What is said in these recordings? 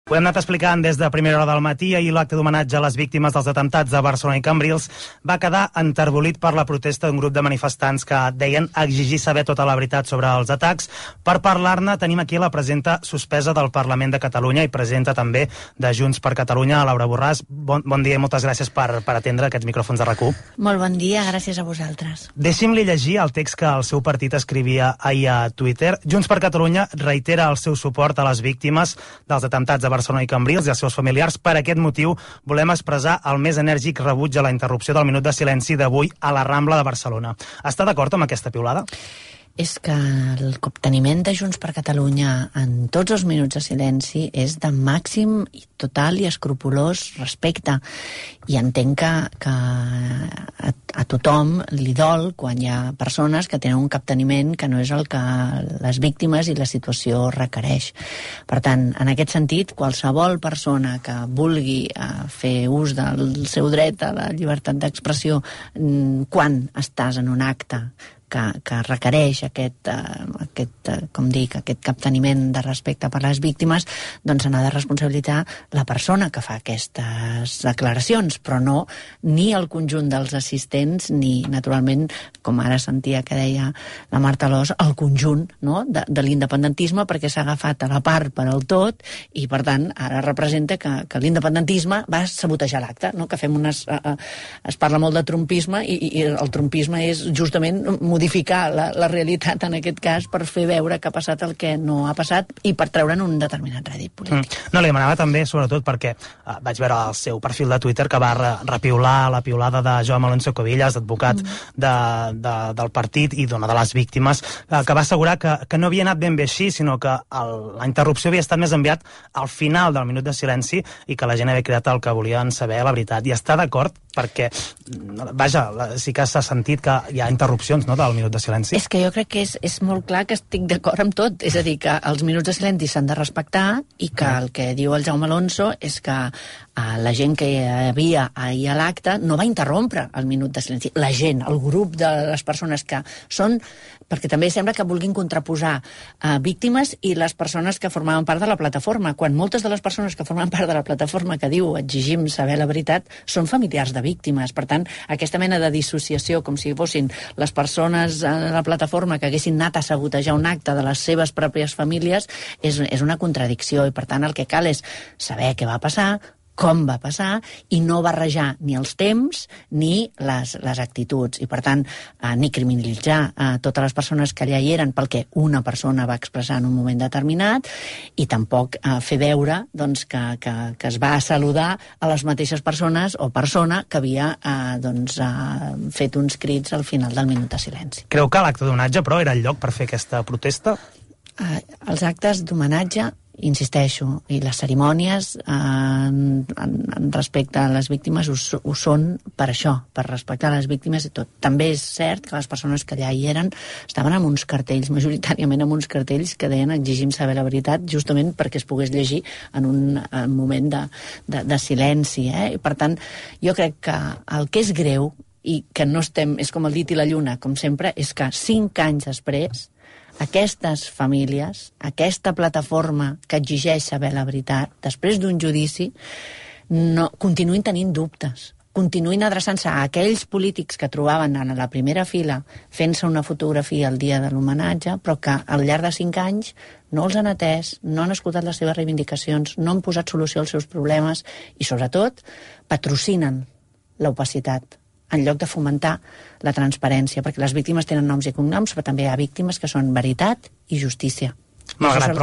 Ho hem anat explicant des de primera hora del matí. Ahir l'acte d'homenatge a les víctimes dels atemptats de Barcelona i Cambrils va quedar enterbolit per la protesta d'un grup de manifestants que deien exigir saber tota la veritat sobre els atacs. Per parlar-ne tenim aquí la presidenta suspesa del Parlament de Catalunya i presidenta també de Junts per Catalunya, Laura Borràs. Bon dia i moltes gràcies per atendre aquests micròfons de RAC1. Molt bon dia, gràcies a vosaltres. Deixi'm-li llegir el text que el seu partit escrivia ahir a Twitter. Junts per Catalunya reitera el seu suport a les víctimes dels atemptats de Barcelona i Cambrils i els seus familiars. Per aquest motiu volem expressar el més enèrgic rebuig a la interrupció del minut de silenci d'avui a la Rambla de Barcelona. Està d'acord amb aquesta piulada? És que el capteniment de Junts per Catalunya en tots els minuts de silenci és de màxim i total i escrupolós respecte. I entenc que a tothom li dol quan hi ha persones que tenen un capteniment que no és el que les víctimes i la situació requereix. Per tant, en aquest sentit, qualsevol persona que vulgui fer ús del seu dret a la llibertat d'expressió quan estàs en un acte que requereix aquest capteniment de respecte per les víctimes, doncs se n'ha de responsabilitzar la persona que fa aquestes declaracions, però no ni el conjunt dels assistents, ni, naturalment, com ara sentia que deia la Marta Alòs, el conjunt, no?, de l'independentisme, perquè s'ha agafat a la part per al tot, i, per tant, ara representa que l'independentisme va sabotejar l'acte, no?, que fem es parla molt de trumpisme, i el trumpisme és justament modificar la realitat en aquest cas per fer veure que ha passat el que no ha passat i per treure'n un determinat rèdit polític. No, li demanava també, sobretot, perquè vaig veure el seu perfil de Twitter que va repiular la piulada de Jaume Alonso Cuevillas, advocat del partit i de les víctimes, que va assegurar que no havia anat ben bé així, sinó que la interrupció havia estat més enviat al final del minut de silenci i que la gent havia cridat el que volien saber, la veritat. I està d'acord perquè, vaja, sí que s'ha sentit que hi ha interrupcions, no?, del minut de silenci. És que jo crec que és molt clar que estic d'acord amb tot. És a dir, que els minuts de silenci s'han de respectar i que el que diu el Jaume Alonso és que la gent que hi havia ahir a l'acte no va interrompre el minut de silenci. La gent, el grup de les persones que són... Perquè també sembla que vulguin contraposar víctimes i les persones que formaven part de la plataforma, quan moltes de les persones que formen part de la plataforma que diu exigim saber la veritat són familiars de víctimes. Per tant, aquesta mena de dissociació, com si fossin les persones de la plataforma que haguessin anat a sabotejar un acte de les seves pròpies famílies, és una contradicció. I, per tant, el que cal és saber què va passar, com va passar, i no barrejar ni els temps ni les actituds. I, per tant, ni criminalitzar totes les persones que allà hi eren pel que una persona va expressar en un moment determinat, i tampoc fer veure doncs, que es va saludar a les mateixes persones o persona que havia fet uns crits al final del minut de silenci. Creu que l'acte d'homenatge, però, era el lloc per fer aquesta protesta? Els actes d'homenatge, insisteixo, i les cerimònies en respecte a les víctimes ho són per això, per respectar les víctimes i tot. També és cert que les persones que allà hi eren estaven amb uns cartells, majoritàriament amb uns cartells que deien exigim saber la veritat, justament perquè es pogués llegir en un moment de silenci. I, per tant, jo crec que el que és greu i que no estem, és com el dit i la lluna, com sempre, és que 5 anys després aquestes famílies, aquesta plataforma que exigeix saber la veritat, després d'un judici, continuïn tenint dubtes, continuïn adreçant-se a aquells polítics que trobaven en la primera fila fent-se una fotografia el dia de l'homenatge, però que al llarg de 5 anys no els han atès, no han escoltat les seves reivindicacions, no han posat solució als seus problemes i, sobretot, patrocinen l'opacitat en lloc de fomentar la transparència, perquè les víctimes tenen noms i cognoms, però també hi ha víctimes que són veritat i justícia. Això és el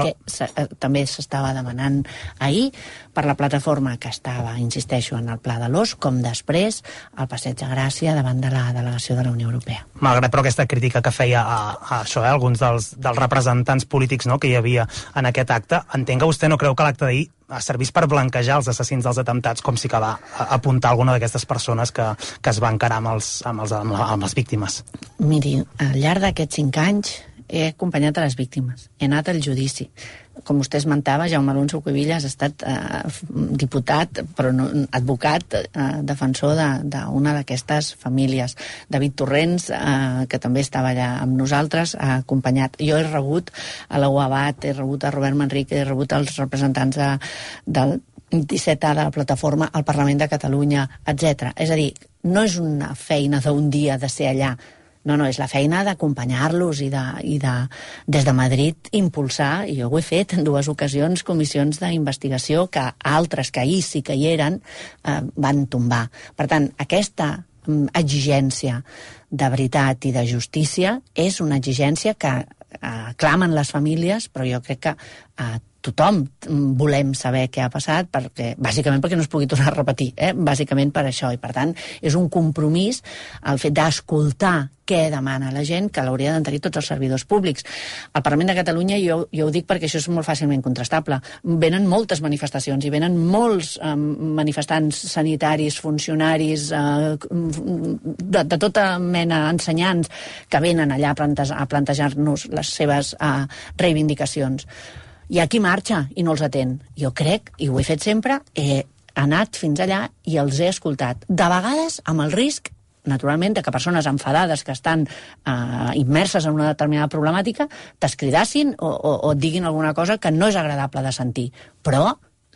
que també s'estava demanant ahir per la plataforma que estava, insisteixo, en el Pla de l'Os, com després al Passeig de Gràcia davant de la delegació de la Unió Europea. Malgrat, però, aquesta crítica que feia a això, alguns dels representants polítics, no?, que hi havia en aquest acte, entenc que vostè no creu que l'acte d'ahir servís per blanquejar els assassins dels atemptats, com sí que va apuntar alguna d'aquestes persones que es va encarar amb les víctimes. Miri, al llarg d'aquests 5 anys he acompanyat a les víctimes, he anat al judici. Com vostè esmentava, Jaume Alonso Cuevillas ha estat diputat, però no, advocat, defensor d'una d'aquestes famílies. David Torrents, que també estava allà amb nosaltres, ha acompanyat. Jo he rebut a la UABAT, he rebut a Robert Manrique, he rebut els representants del 17A de la plataforma al Parlament de Catalunya, etc. És a dir, no és una feina d'un dia de ser allà. No, és la feina d'acompanyar-los i des de Madrid impulsar, i jo ho he fet en 2 ocasions, comissions d'investigació que altres que ahir sí que hi eren van tombar. Per tant, aquesta exigència de veritat i de justícia és una exigència que clamen les famílies, però jo crec que tothom volem saber què ha passat, bàsicament perquè no es pugui tornar a repetir, bàsicament per això, i per tant és un compromís el fet d'escoltar què demana la gent, que l'hauria de tenir tots els servidors públics. Al Parlament de Catalunya, jo ho dic perquè això és molt fàcilment contrastable, venen moltes manifestacions i venen molts manifestants sanitaris, funcionaris, de tota mena, ensenyants, que venen allà a plantejar-nos les seves reivindicacions. Hi ha qui marxa i no els atén. Jo crec, i ho he fet sempre, he anat fins allà i els he escoltat. De vegades amb el risc, naturalment, que persones enfadades que estan immerses en una determinada problemàtica t'escridassin o et diguin alguna cosa que no és agradable de sentir. Però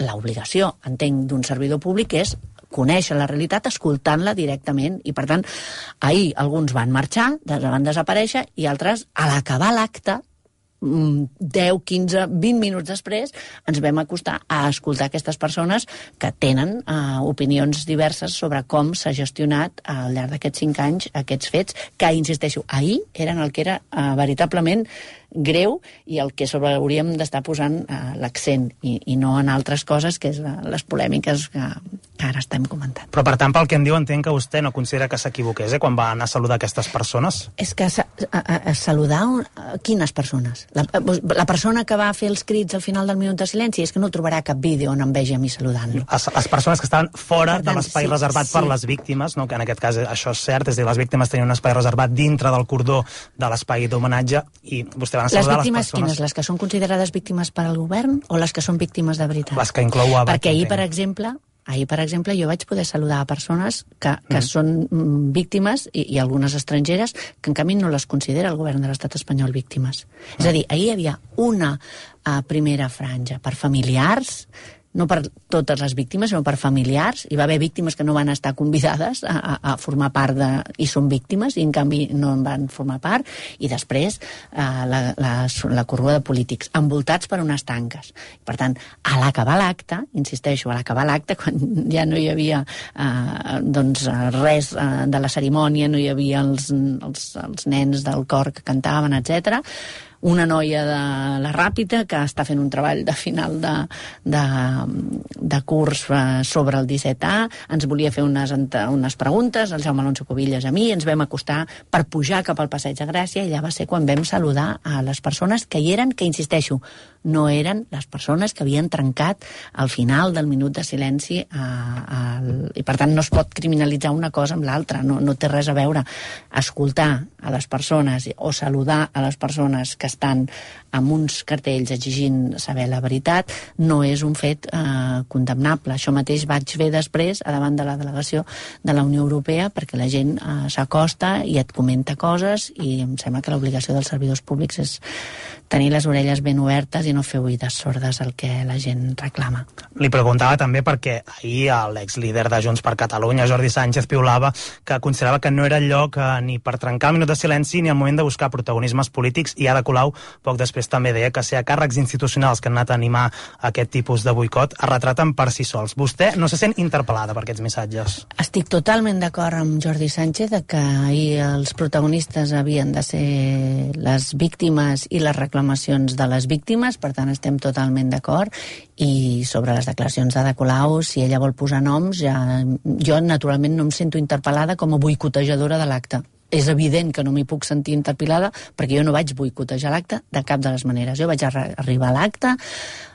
l'obligació, entenc, d'un servidor públic és conèixer la realitat escoltant-la directament. I, per tant, ahir alguns van marxar, van desaparèixer, i altres, a l'acabar l'acte, 10, 15, 20 minuts després ens vam acostar a escoltar aquestes persones que tenen opinions diverses sobre com s'ha gestionat al llarg d'aquests 5 anys aquests fets, que, insisteixo, ahir eren el que era veritablement greu i el que sobre hauríem d'estar posant l'accent i no en altres coses, que és les polèmiques que ara estem comentant. Però, per tant, pel que em diu, entenc que vostè no considera que s'equivoqués quan va anar a saludar aquestes persones? És que saludar quines persones? La persona que va fer els crits al final del minut de silenci és que no trobarà cap vídeo on em vegi a mi saludant-lo. Les persones que estaven fora de l'espai reservat per les víctimes, que en aquest cas això és cert, és a dir, les víctimes tenien un espai reservat dintre del cordó de l'espai d'homenatge i vostè va anar a saludar les víctimes, quines? Les que són considerades víctimes per al govern o les que són víctimes de veritat? Les que inclou ABAT. Perquè ahir, per exemple, jo vaig poder saludar a persones que són víctimes i algunes estrangeres que en canvi no les considera el govern de l'estat espanyol víctimes. És a dir, ahir hi havia una primera franja per familiars, no per totes les víctimes, sinó per familiars. Hi va haver víctimes que no van estar convidades a formar part i són víctimes, i en canvi no en van formar part, i després la corrua de polítics, envoltats per unes tanques. Per tant, a l'acabar l'acte, insisteixo, a l'acabar l'acte, quan ja no hi havia res de la cerimònia, no hi havia els nens del cor que cantaven, etc., una noia de la Ràpita que està fent un treball de final de curs sobre el 17A, ens volia fer unes preguntes, el Jaume Alonso Cuevillas a mi, ens vam acostar per pujar cap al Passeig de Gràcia, i allà va ser quan vam saludar a les persones que hi eren, que, insisteixo, no eren les persones que havien trencat al final del minut de silenci, i per tant no es pot criminalitzar una cosa amb l'altra, no té res a veure. Escoltar a les persones o saludar a les persones que estan amb uns cartells exigint saber la veritat no és un fet condemnable. Això mateix vaig fer després a davant de la delegació de la Unió Europea, perquè la gent s'acosta i et comenta coses, i em sembla que l'obligació dels servidors públics és tenir les orelles ben obertes i no fer oïdes sordes al que la gent reclama. Li preguntava també perquè ahir l'exlíder de Junts per Catalunya, Jordi Sánchez, piulava que considerava que no era el lloc ni per trencar el minut de silenci ni el moment de buscar protagonismes polítics, i Ada Colau poc després també deia que ser a càrrecs institucionals que han anat a animar aquest tipus de boicot es retraten per si sols. Vostè no se sent interpel·lada per aquests missatges? Estic totalment d'acord amb Jordi Sánchez que ahir els protagonistes havien de ser les víctimes i les reclamacions de les víctimes, per tant estem totalment d'acord. I sobre les declaracions d'Ada Colau, si ella vol posar noms, jo naturalment no em sento interpel·lada com a boicotejadora de l'acte. És evident que no m'hi puc sentir interpel·lada perquè jo no vaig boicotejar l'acte de cap de les maneres. Jo vaig arribar a l'acte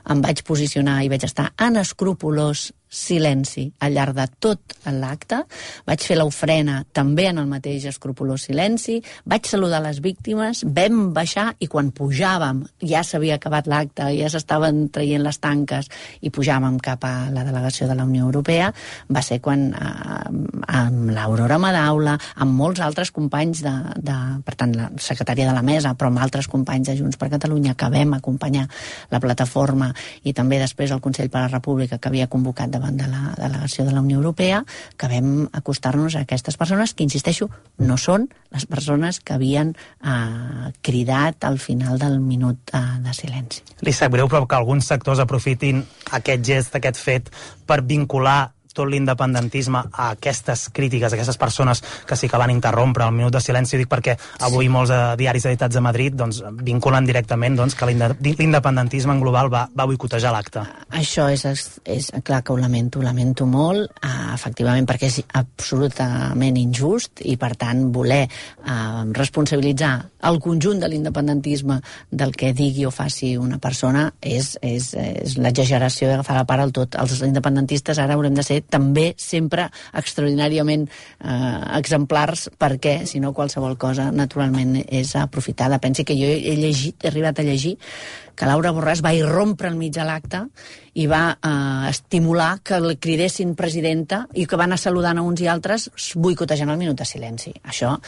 em vaig posicionar i vaig estar en escrupolós silenci al llarg de tot l'acte. Vaig fer l'ofrena també en el mateix escrupolós silenci, vaig saludar les víctimes, vam baixar i quan pujàvem, ja s'havia acabat l'acte, ja s'estaven traient les tanques i pujàvem cap a la delegació de la Unió Europea, va ser quan amb l'Aurora Madaula, amb molts altres companys per tant, la secretària de la mesa, però amb altres companys de Junts per Catalunya que vam acompanyar la plataforma i també després el Consell per la República que havia convocat davant de la delegació de la Unió Europea, que vam acostar-nos a aquestes persones que, insisteixo, no són les persones que havien cridat al final del minut de silenci. Li sap greu, però que alguns sectors aprofitin aquest gest, aquest fet, per vincular tot l'independentisme a aquestes crítiques, a aquestes persones que sí que van interrompre el minut de silenci. Dic perquè avui molts diaris editats a Madrid vinculen directament que l'independentisme en global va boicotejar l'acte. Això és clar que ho lamento molt, efectivament, perquè és absolutament injust i, per tant, voler responsabilitzar el conjunt de l'independentisme del que digui o faci una persona és l'exageració d'agafar la part al tot. Els independentistes ara haurem de ser també sempre extraordinàriament exemplars, perquè si no qualsevol cosa naturalment és aprofitada. Pensi que jo he arribat a llegir que Laura Borràs va irrompre enmig de l'acte i va estimular que li cridessin presidenta i que va anar saludant a uns i altres boicotejant el minut de silenci. Això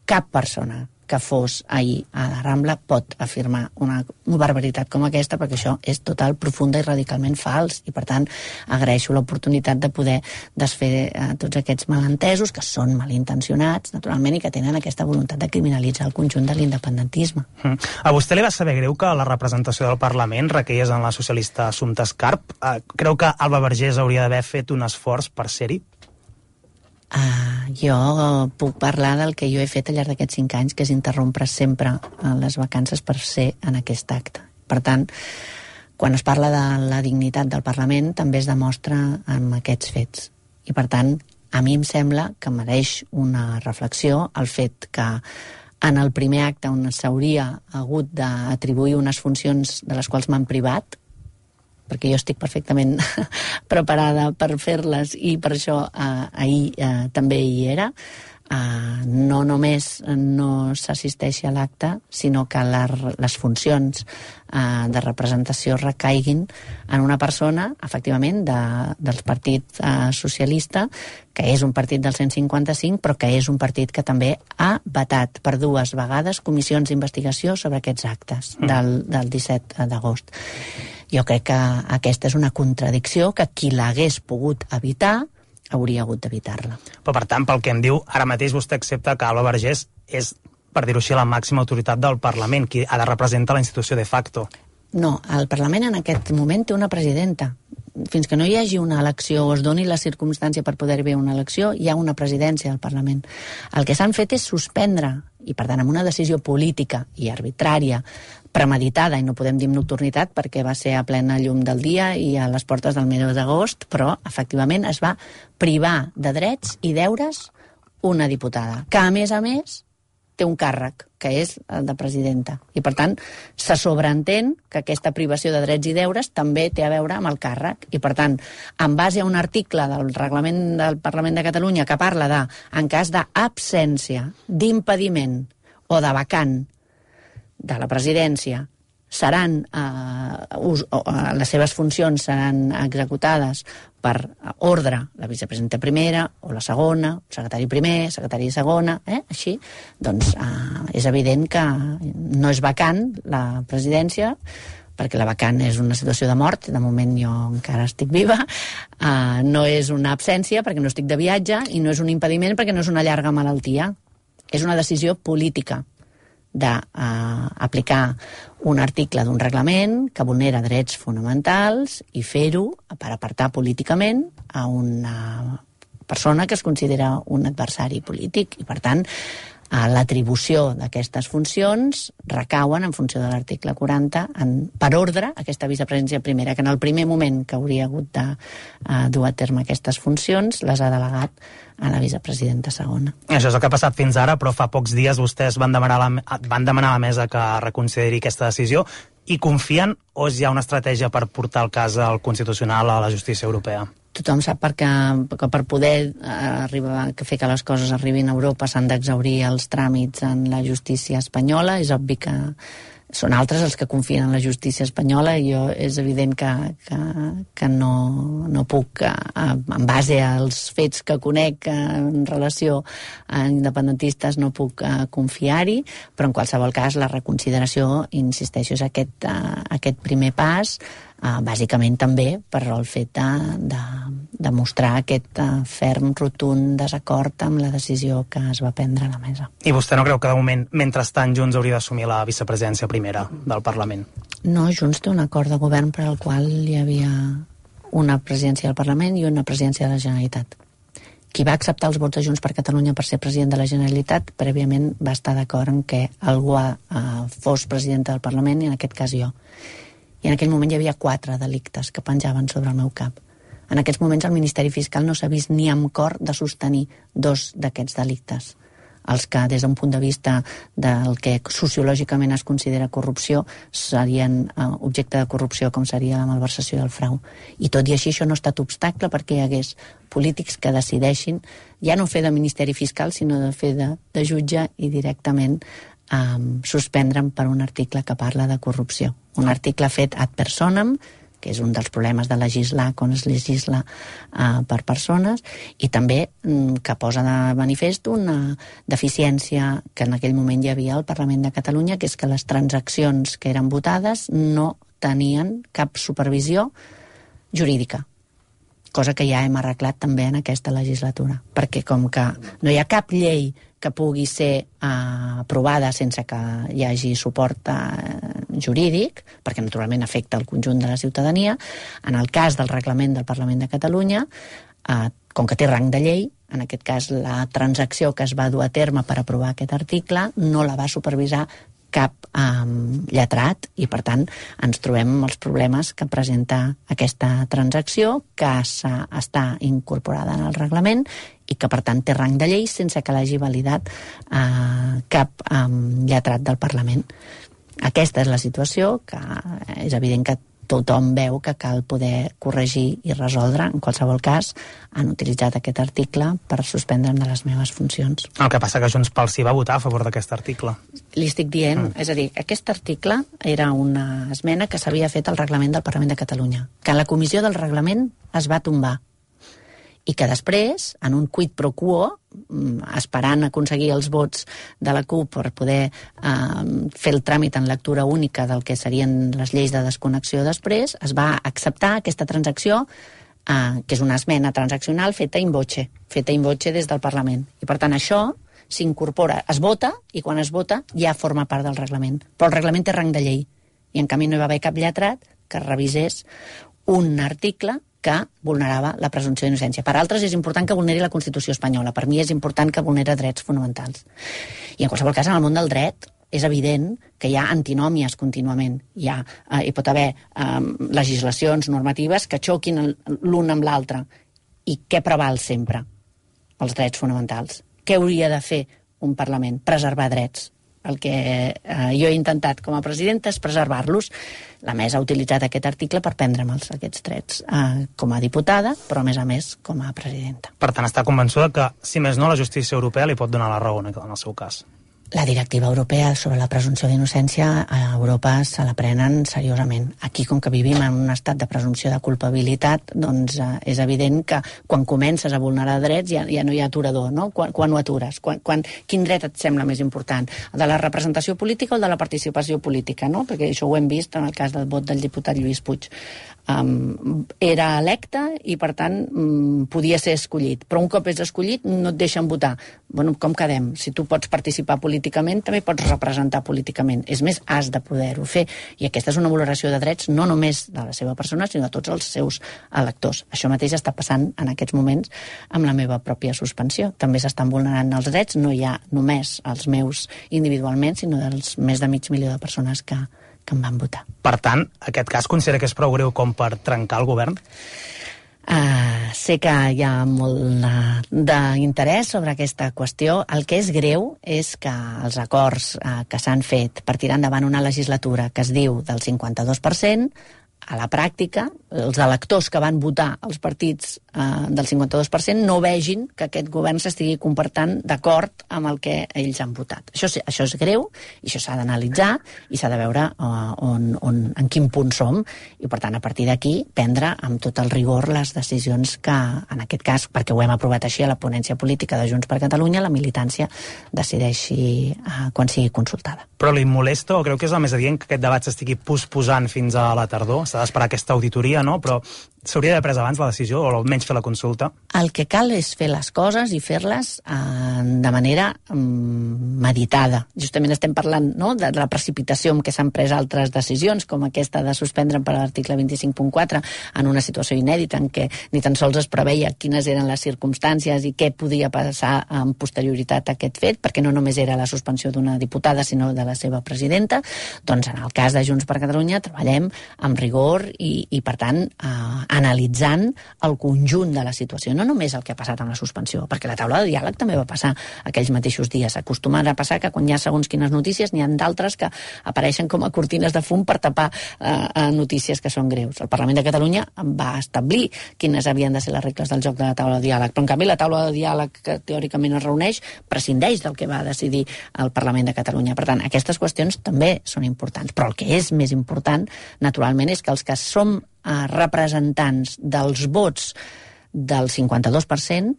cap persona que fos ahir a la Rambla pot afirmar una barbaritat com aquesta, perquè això és total, profunda i radicalment fals, i per tant agraeixo l'oportunitat de poder desfer tots aquests malentesos, que són malintencionats, naturalment, i que tenen aquesta voluntat de criminalitzar el conjunt de l'independentisme. A vostè li va saber greu que la representació del Parlament requeies en la socialista Assumpta Escarp? Creu que Alba Vergés hauria d'haver fet un esforç per ser-hi? Jo puc parlar del que jo he fet al llarg d'aquests 5 anys, que és interrompre sempre les vacances per ser en aquest acte. Per tant, quan es parla de la dignitat del Parlament, també es demostra amb aquests fets. I per tant, a mi em sembla que mereix una reflexió el fet que en el primer acte on s'hauria hagut d'atribuir unes funcions de les quals m'han privat, perquè jo estic perfectament preparada per fer-les i per això ahir també hi era, no només no s'assisteixi a l'acte, sinó que les funcions de representació recaiguin en una persona, efectivament, del Partit Socialista, que és un partit del 155, però que és un partit que també ha vetat per 2 vegades comissions d'investigació sobre aquests actes del 17 d'agost. Jo crec que aquesta és una contradicció que qui l'hagués pogut evitar hauria hagut d'evitar-la. Però, per tant, pel que em diu, ara mateix vostè accepta que Alba Vergés és, per dir-ho així, la màxima autoritat del Parlament, qui ha de representar la institució de facto. No, el Parlament en aquest moment té una presidenta. Fins que no hi hagi una elecció o es doni la circumstància per poder haver una elecció, hi ha una presidència del Parlament. El que s'han fet és suspendre, i per tant amb una decisió política i arbitrària, premeditada, i no podem dir nocturnitat perquè va ser a plena llum del dia i a les portes del mes d'agost, però efectivament es va privar de drets i deures una diputada, que a més té un càrrec, que és el de presidenta. I per tant, se sobreentén que aquesta privació de drets i deures també té a veure amb el càrrec. I per tant, en base a un article del reglament del Parlament de Catalunya que parla de, en cas d'absència, d'impediment o de vacant de la presidència, seran les seves funcions seran executades per ordre la vicepresidenta primera o la segona, secretari primer, secretari segona, així, doncs és evident que no és vacant la presidència, perquè la vacant és una situació de mort, de moment jo encara estic viva, no és una absència perquè no estic de viatge i no és un impediment perquè no és una llarga malaltia, és una decisió política d'aplicar un article d'un reglament que vulnera drets fonamentals i fer-ho per apartar políticament a una persona que es considera un adversari polític. I, per tant, L'atribució d'aquestes funcions recauen en funció de l'article 40 per ordre aquesta vicepresidència primera, que en el primer moment que hauria hagut de dur a terme aquestes funcions les ha delegat a la vicepresidenta segona. Això és el que ha passat fins ara, però fa pocs dies vostès van demanar a la mesa que reconsideri aquesta decisió i confien o hi ha una estratègia per portar el cas al Constitucional a la justícia europea? Tothom sap que per poder fer que les coses arribin a Europa s'han d'exhaurir els tràmits en la justícia espanyola. És obvi que són altres els que confien en la justícia espanyola i jo és evident que no puc, en base als fets que conec en relació a independentistes, no puc confiar-hi, però en qualsevol cas la reconsideració, insisteixo, és aquest primer pas, bàsicament també per el fet de mostrar aquest ferm, rotund desacord amb la decisió que es va prendre a la mesa. I vostè no creu que de moment, mentrestant, Junts hauria d'assumir la vicepresidència primera del Parlament? No, Junts té un acord de govern per al qual hi havia una presidència del Parlament i una presidència de la Generalitat. Qui va acceptar els vots de Junts per Catalunya per ser president de la Generalitat, prèviament va estar d'acord en que algú fos presidenta del Parlament, i en aquest cas jo. I en aquell moment hi havia 4 delictes que penjaven sobre el meu cap. En aquests moments el Ministeri Fiscal no s'ha vist ni amb cor de sostenir 2 d'aquests delictes. Els que, des d'un punt de vista del que sociològicament es considera corrupció, serien objecte de corrupció, com seria la malversació i el frau. I tot i així això no ha estat obstacle perquè hi hagués polítics que decideixin ja no fer de Ministeri Fiscal, sinó de fer de jutge i directament suspendre'm per un article que parla de corrupció. Un article fet ad personam, que és un dels problemes de legislar quan es legisla per persones, i també que posa de manifest una deficiència que en aquell moment hi havia al Parlament de Catalunya, que és que les transaccions que eren votades no tenien cap supervisió jurídica, cosa que ja hem arreglat també en aquesta legislatura, perquè com que no hi ha cap llei que pugui ser aprovada sense que hi hagi suport jurídic, perquè naturalment afecta el conjunt de la ciutadania, en el cas del reglament del Parlament de Catalunya, com que té rang de llei, en aquest cas la transacció que es va dur a terme per aprovar aquest article no la va supervisar cap lletrat i, per tant, ens trobem amb els problemes que presenta aquesta transacció, que està incorporada en el reglament i que, per tant, té rang de llei sense que l'hagi validat cap lletrat del Parlament. Aquesta és la situació, que és evident que tothom veu que cal poder corregir i resoldre. En qualsevol cas, han utilitzat aquest article per suspendre'm de les meves funcions. El que passa que Junts pel Sí va votar a favor d'aquest article. Li estic dient, és a dir, aquest article era una esmena que s'havia fet al reglament del Parlament de Catalunya, que en la comissió del reglament es va tombar, i que després, en un quid pro quo, esperant aconseguir els vots de la CUP per poder fer el tràmit en lectura única del que serien les lleis de desconnexió després, es va acceptar aquesta transacció, que és una esmena transaccional feta in voce des del Parlament. I per tant això s'incorpora, es vota, i quan es vota ja forma part del reglament. Però el reglament té rang de llei, i en canvi no hi va haver cap lletrat que revisés un article que vulnerava la presumpció d'innocència. Per altres és important que vulneri la Constitució espanyola. Per mi és important que vulneri drets fonamentals. I en qualsevol cas, en el món del dret, és evident que hi ha antinòmies contínuament. Hi pot haver legislacions normatives que xoquin l'un amb l'altre. I què preval sempre? Els drets fonamentals. Què hauria de fer un Parlament? Preservar drets. El que jo he intentat com a presidenta és preservar-los. La mesa ha utilitzat aquest article per prendre'm aquests drets com a diputada, però a més com a presidenta. Per tant, està convençuda que, si més no, la justícia europea li pot donar la raó en el seu cas? La directiva europea sobre la presumpció d'innocència a Europa se la prenen seriosament. Aquí, com que vivim en un estat de presumpció de culpabilitat, doncs és evident que quan comences a vulnerar drets ja no hi ha aturador, no? Quan ho atures? Quin dret et sembla més important? El de la representació política o el de la participació política, no? Perquè això ho hem vist en el cas del vot del diputat Lluís Puig. era electe i, per tant, podia ser escollit. Però un cop és escollit no et deixen votar. Bueno, com quedem? Si tu pots participar políticament, també pots representar políticament. És més, has de poder-ho fer. I aquesta és una valoració de drets no només de la seva persona, sinó de tots els seus electors. Això mateix està passant en aquests moments amb la meva pròpia suspensió. També s'estan vulnerant els drets, no hi ha només els meus individualment, sinó dels més de 500.000 de persones que em van votar. Per tant, aquest cas considera que és prou greu com per trencar el govern? Sé que hi ha molt d'interès sobre aquesta qüestió. El que és greu és que els acords que s'han fet per tirar endavant una legislatura que es diu del 52%, a la pràctica, els electors que van votar els partits del 52% no vegin que aquest govern s'estigui comportant d'acord amb el que ells han votat. Això és greu i això s'ha d'analitzar i s'ha de veure en quin punt som i, per tant, a partir d'aquí, prendre amb tot el rigor les decisions que, en aquest cas, perquè ho hem aprovat així a la ponència política de Junts per Catalunya, la militància decideixi quan sigui consultada. Però li molesta o creu que és el més adient que aquest debat s'estigui posposant fins a la tardor? S'ha d'esperar aquesta auditoria, no? Però s'hauria d'haver pres abans la decisió o almenys fer la consulta? El que cal és fer les coses i fer-les de manera meditada. Justament estem parlant, no?, de la precipitació amb què s'han pres altres decisions, com aquesta de suspendre per l'article 25.4 en una situació inèdita en què ni tan sols es preveia quines eren les circumstàncies i què podia passar amb posterioritat a aquest fet, perquè no només era la suspensió d'una diputada, sinó de la seva presidenta. Doncs en el cas de Junts per Catalunya treballem amb rigor i per tant, analitzant el conjunt de la situació, no només el que ha passat amb la suspensió, perquè la taula de diàleg també va passar aquells mateixos dies. Acostuma a passar que quan hi ha segons quines notícies n'hi ha d'altres que apareixen com a cortines de fum per tapar notícies que són greus. El Parlament de Catalunya va establir quines havien de ser les regles del joc de la taula de diàleg, però en canvi la taula de diàleg que teòricament es reuneix prescindeix del que va decidir el Parlament de Catalunya. Per tant, aquestes qüestions també són importants, però el que és més important, naturalment, és que els que som representants dels vots del 52%,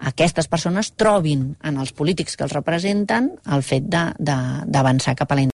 aquestes persones trobin en els polítics que els representen el fet d'avançar cap a la